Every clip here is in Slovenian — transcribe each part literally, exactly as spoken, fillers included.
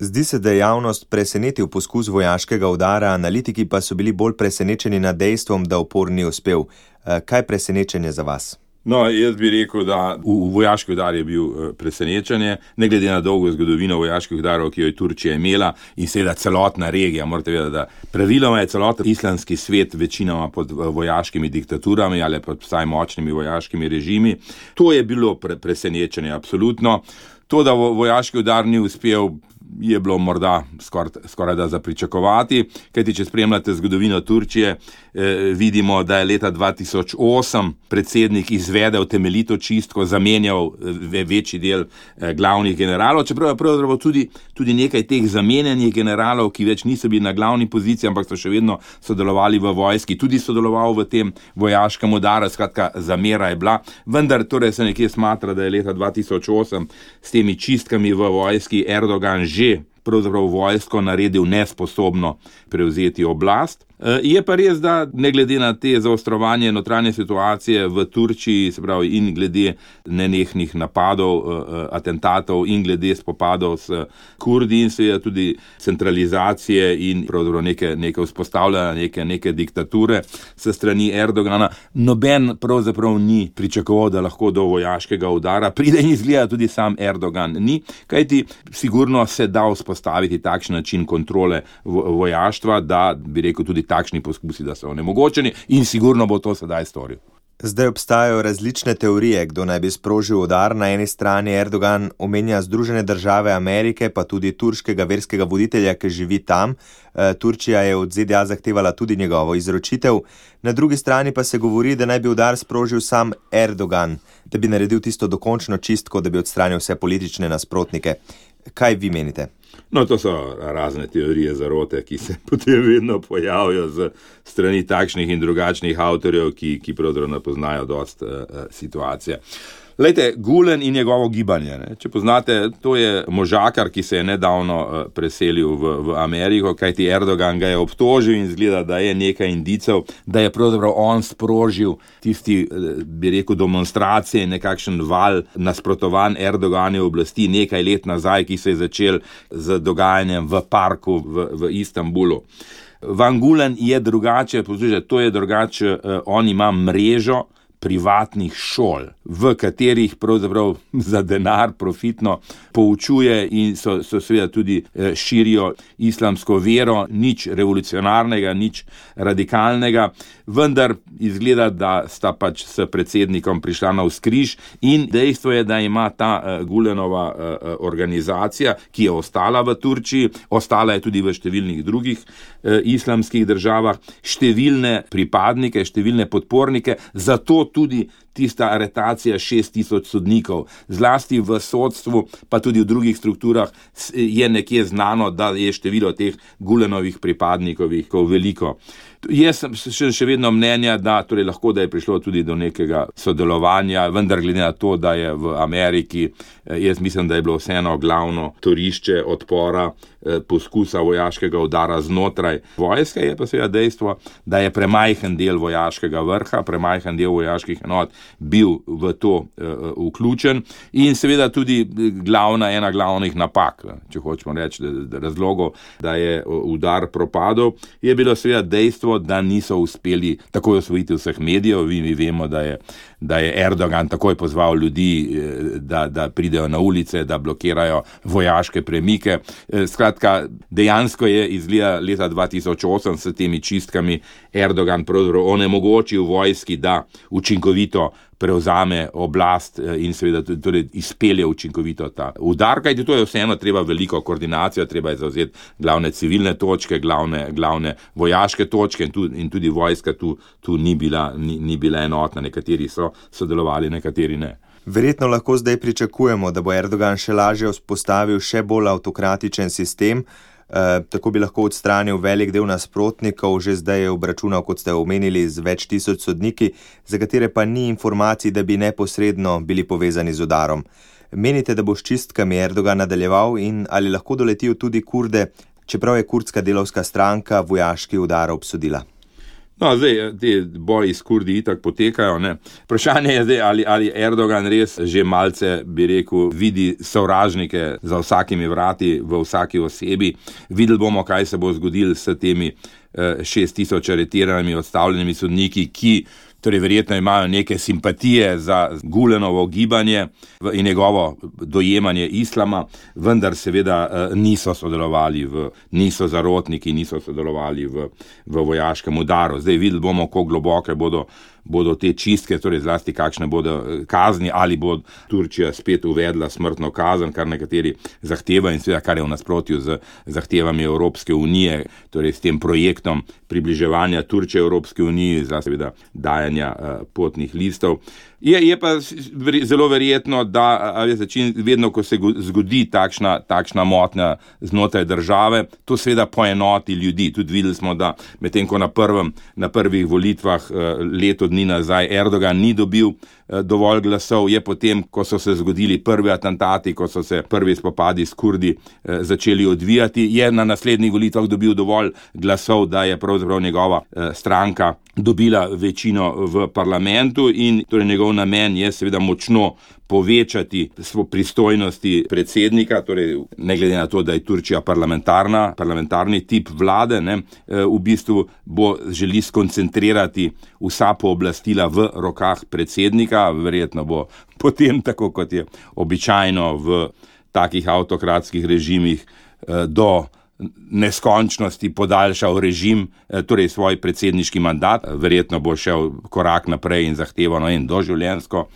Zdi se, da je javnost presenetil poskus vojaškega udara, analitiki pa so bili bolj presenečeni nad dejstvom, da upor ni uspel. Kaj je presenečenje za vas? No, jaz bi rekel, da v, v vojaški udar je bil presenečenje, ne glede na dolgo zgodovino vojaških udarov, ki jo je Turčija imela in seveda celotna regija. Morate vedeti, da praviloma je celoten islamski svet večinoma pod vojaškimi diktaturami ali pod vsaj močnimi vojaškimi režimi. To je bilo pre, presenečenje, absolutno. To, da vojaški udar ni uspel, je bilo morda skoraj, skoraj da za pričakovati, kajti če spremljate zgodovino Turčije, eh, vidimo, da je leta dva tisoč osem predsednik izvedel temeljito čistko, zamenjal eh, večji del eh, glavnih generalov, čeprav je pravzaprav tudi, tudi nekaj teh zamenjanih generalov, ki več niso bili na glavni poziciji, ampak so še vedno sodelovali v vojski, tudi sodeloval v tem vojaškem udaru, skratka zamera je bila, vendar torej se nekje smatra, da je leta dva tisoč osem s temi čistkami v vojski Erdogan že pravzaprav vojsko naredil nesposobno prevzeti oblast. Je pa res, da ne glede na te zaostrovanje notranje situacije v Turčiji, se pravi in glede nenehnih napadov, atentatov in glede spopadov s Kurdi in seveda tudi centralizacije in pravzaprav neke, neke vzpostavljanja neke, neke diktature s strani Erdogana, noben pravzaprav ni pričakoval, da lahko do vojaškega udara pride in izgleda tudi sam Erdogan ni, kajti sigurno se da vzpostaviti takšen način kontrole vojaštva, da bi rekel tudi takšni poskusi, da so onemogočeni in sigurno bo to sedaj storil. Zdaj obstajajo različne teorije, kdo naj bi sprožil udar. Na eni strani Erdogan omenja Združene države Amerike, pa tudi turškega verskega voditelja, ki živi tam. Turčija je od Z D A zahtevala tudi njegovo izročitev. Na drugi strani pa se govori, da naj bi udar sprožil sam Erdogan, da bi naredil tisto dokončno čistko, da bi odstranil vse politične nasprotnike. Kaj vi menite? No, to so razne teorije zarote, ki se potem vedno pojavijo z strani takšnih in drugačnih avtorjev, ki, ki pravzaprav ne poznajo dost uh, situacije. Lejte, Gulen in njegovo gibanje. Ne? Če poznate, to je možakar, ki se je nedavno uh, preselil v, v Ameriko, kajti Erdogan ga je obtožil in zgleda, da je nekaj indicev, da je pravzaprav on sprožil tisti, bi rekel, demonstracije, nekakšen val nasprotovanj Erdoganove oblasti nekaj let nazaj, ki se je začel z dogajanjem v parku v, v Istanbulu. Van Gulen je drugače, poslušajte, to je drugače, uh, on ima mrežo privatnih šol, v katerih pravzaprav za denar profitno poučuje in so, so seveda tudi širijo islamsko vero, nič revolucionarnega, nič radikalnega, vendar izgleda, da sta pač s predsednikom prišla na vzkriž in dejstvo je, da ima ta uh, Gulenova uh, organizacija, ki je ostala v Turčiji, ostala je tudi v številnih drugih uh, islamskih državah, številne pripadnike, številne podpornike, zato tudi tista aretacija šest tisoč sodnikov, zlasti v sodstvu, pa tudi v drugih strukturah je nekje znano, da je število teh Gulenovih pripadnikovih veliko. Jaz sem še, še vedno mnenja, da torej lahko, da je prišlo tudi do nekega sodelovanja, vendar glede na to, da je v Ameriki, jaz mislim, da je bilo vseeno glavno torišče odpora poskusa vojaškega udara znotraj vojske, je pa seveda dejstvo, da je premajhen del vojaškega vrha, premajhen del vojaških enot bil v to uh, vključen in seveda tudi glavna, ena glavnih napak, če hočemo reči, da, razlogov, da je udar propadel, je bilo seveda dejstvo, da niso uspeli takoj osvojiti vseh medijev. Vi, mi vemo, da je, da je Erdogan takoj pozval ljudi, da, da pridejo na ulice, da blokirajo vojaške premike. Skratka, dejansko je izgleda leta dva tisoč osem s temi čistkami Erdogan pravzaprav onemogočil vojski, da učinkovito prevzame oblast in seveda tudi izpelje učinkovito ta udar, kajti to je vseeno treba veliko koordinacijo, treba je zavzeti glavne civilne točke, glavne, glavne vojaške točke in, tu, in tudi vojska tu, tu ni, bila, ni, ni bila enotna, nekateri so sodelovali, nekateri ne. Verjetno lahko zdaj pričakujemo, da bo Erdogan še lažje vzpostavil še bolj avtokratičen sistem, Uh, tako bi lahko odstranil velik del nasprotnikov, že zdaj je obračunal, kot ste omenili, z več tisoč sodniki, za katere pa ni informacij, da bi neposredno bili povezani z udarom. Menite, da bo s čistkami Erdogan nadaljeval in ali lahko doletijo tudi Kurde, čeprav je kurdska delavska stranka vojaški udar obsodila? No, zdaj, te boji s Kurdi itak potekajo, ne. Vprašanje je zdaj, ali, ali Erdogan res že malce, bi rekel, vidi sovražnike za vsakimi vrati, v vsaki osebi. Videli bomo, kaj se bo zgodilo s temi eh, šest tisoč aretiranimi odstavljenimi sodniki, ki torej verjetno imajo neke simpatije za Gulenovo gibanje in njegovo dojemanje islama, vendar seveda niso sodelovali v, niso zarotniki, niso sodelovali v, v vojaškem udaru. Zdaj videli bomo, kako globoke bodo, bodo te čistke, torej zlasti kakšne bodo kazni, ali bo Turčija spet uvedla smrtno kazen, kar nekateri zahteva in seveda kar je v nasprotju z zahtevami Evropske unije, torej s tem projektom približevanja Turčije Evropske unije, za seveda dajanja uh, potnih listov. Je, je pa zelo verjetno, da začin, vedno, ko se zgodi takšna, takšna motnja znotraj države, to seveda poenoti ljudi. Tudi videli smo, da medtem ko na, prvem, na prvih volitvah leto dni nazaj Erdogan ni dobil dovolj glasov, je potem, ko so se zgodili prvi atentati, ko so se prvi spopadi s Kurdi začeli odvijati, je na naslednjih volitvah dobil dovolj glasov, da je pravzaprav njegova stranka dobila večino v parlamentu in torej njegov namen je seveda močno povečati pristojnosti predsednika, torej ne glede na to, da je Turčija parlamentarna, parlamentarni tip vlade, ne, v bistvu bo želi skoncentrirati vsa pooblastila v rokah predsednika, verjetno bo potem, tako kot je običajno v takih avtokratskih režimih, do neskončnosti podaljšal režim, torej svoj predsedniški mandat, verjetno bo šel korak naprej in zahteval no, doživljenjsko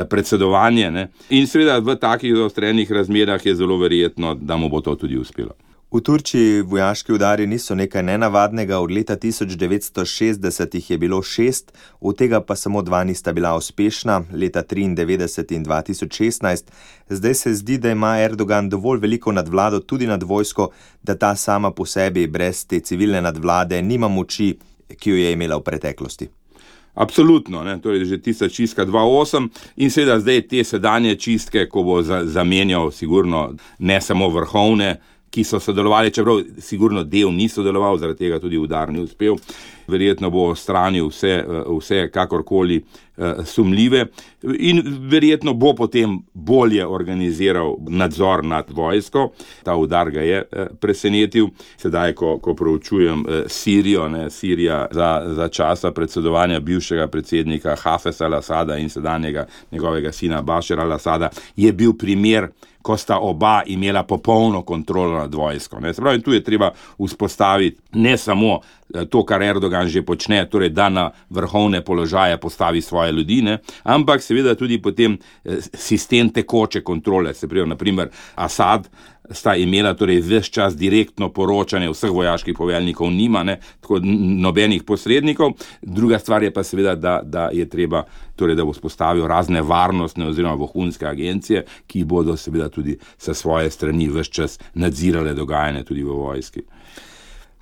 predsedovanje. Ne. In seveda v takih zaostrenih razmerah je zelo verjetno, da mu bo to tudi uspelo. V Turčiji vojaški udari niso nekaj nenavadnega, od leta tisoč devetsto šestdeset jih je bilo šest, od tega pa samo dva nista bila uspešna, leta triindevetdeset in dva tisoč šestnajst. Zdaj se zdi, da ima Erdogan dovolj veliko nadvlado tudi nad vojsko, da ta sama po sebi brez te civilne nadvlade nima moči, ki jo je imela v preteklosti. Absolutno, ne, torej že tista čistka dva osem in seveda zdaj te sedanje čistke, ko bo za, zamenjal sigurno ne samo vrhovne, ki so sodelovali, čeprav sigurno del ni sodeloval, zaradi tega tudi udar ni uspel. Verjetno bo odstranil vse, vse kakorkoli sumljive in verjetno bo potem bolje organiziral nadzor nad vojsko. Ta udar ga je presenetil. Sedaj, ko, ko proučujem Sirijo, ne, Sirija za, za časa predsedovanja bivšega predsednika Hafeza al-Asada in sedanjega njegovega sina Bašara al-Asada, je bil primer, ko sta oba imela popolno kontrolo nad vojsko. Ne. Se pravi, tu je treba vzpostaviti ne samo to, kar Erdogan že počne, torej da na vrhovne položaje postavi svoje ljudi, ne, ampak seveda tudi potem sistem tekoče kontrole. Se pravi, naprimer, Asad sta imela torej ves čas direktno poročanje vseh vojaških poveljnikov, nima, ne, tako nobenih posrednikov. Druga stvar je pa seveda, da, da je treba, torej da bo spostavil razne varnostne oziroma vohunske agencije, ki bodo seveda tudi sa svoje strani ves čas nadzirale dogajanje tudi v vojski.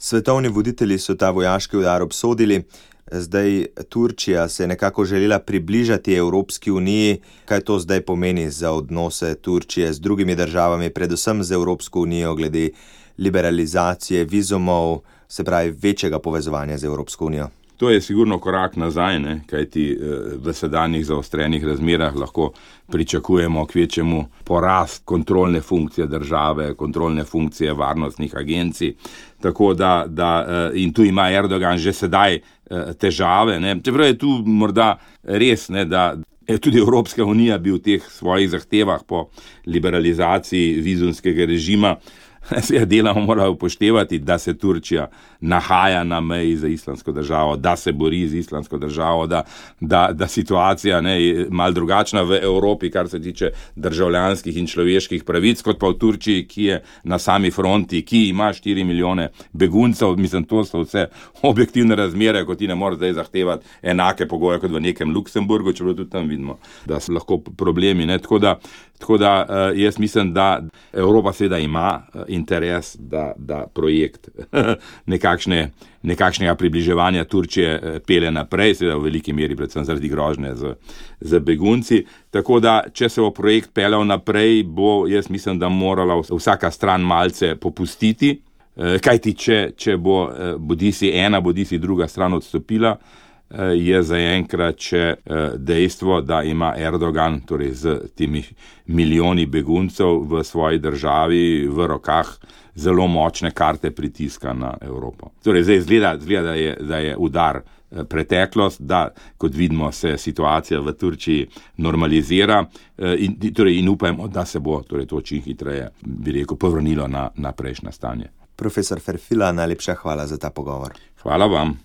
Svetovni voditelji so ta vojaški udar obsodili. Zdaj Turčija se je nekako želela približati Evropski uniji. Kaj to zdaj pomeni za odnose Turčije z drugimi državami, predvsem z Evropsko unijo, glede liberalizacije vizumov, se pravi večjega povezovanja z Evropsko unijo? To je sigurno korak nazaj, ne, kajti v sedanjih zaostrenih razmerah lahko pričakujemo kvečjemu porast kontrolne funkcije države, kontrolne funkcije varnostnih agencij. Tako da, da in tu ima Erdogan že sedaj težave, ne. Čeprav je tu morda res, ne, da je tudi Evropska unija bi v teh svojih zahtevah po liberalizaciji vizumskega režima se delamo mora upoštevati, da se Turčija nahaja na meji za islamsko državo, da se bori z islamsko državo, da, da, da situacija ne, je malo drugačna v Evropi, kar se tiče državljanskih in človeških pravic, kot pa v Turčiji, ki je na sami fronti, ki ima štiri milijone beguncev. Mislim, to so vse objektivne razmere, kot ti ne moreš zdaj zahtevati enake pogoje kot v nekem Luksemburgu, čeprav tudi tam vidimo, da so lahko problemi. Ne. Tako da, tako da jaz mislim, da Evropa seveda ima interes, da, da projekt nekakšne, nekakšnega približevanja Turčije pele naprej, seveda v veliki meri predvsem zaradi grožnje z, z begunci. Tako da, če se bo projekt pelal naprej, bo, jaz mislim, da morala vsaka stran malce popustiti. Kajti, če, če bo bodisi ena, bodisi druga stran odstopila, je zaenkrat še dejstvo, da ima Erdogan, torej z temi milijoni beguncev v svoji državi v rokah, zelo močne karte pritiska na Evropo. Torej, zdaj zgleda, zgleda da, je, da je udar preteklost, da, kot vidimo, se situacija v Turčiji normalizira in, torej, in upajmo, da se bo torej, to čim hitreje, bi rekel, povrnilo na, na prejšnje stanje. Profesor Ferfila, najlepša hvala za ta pogovor. Hvala vam.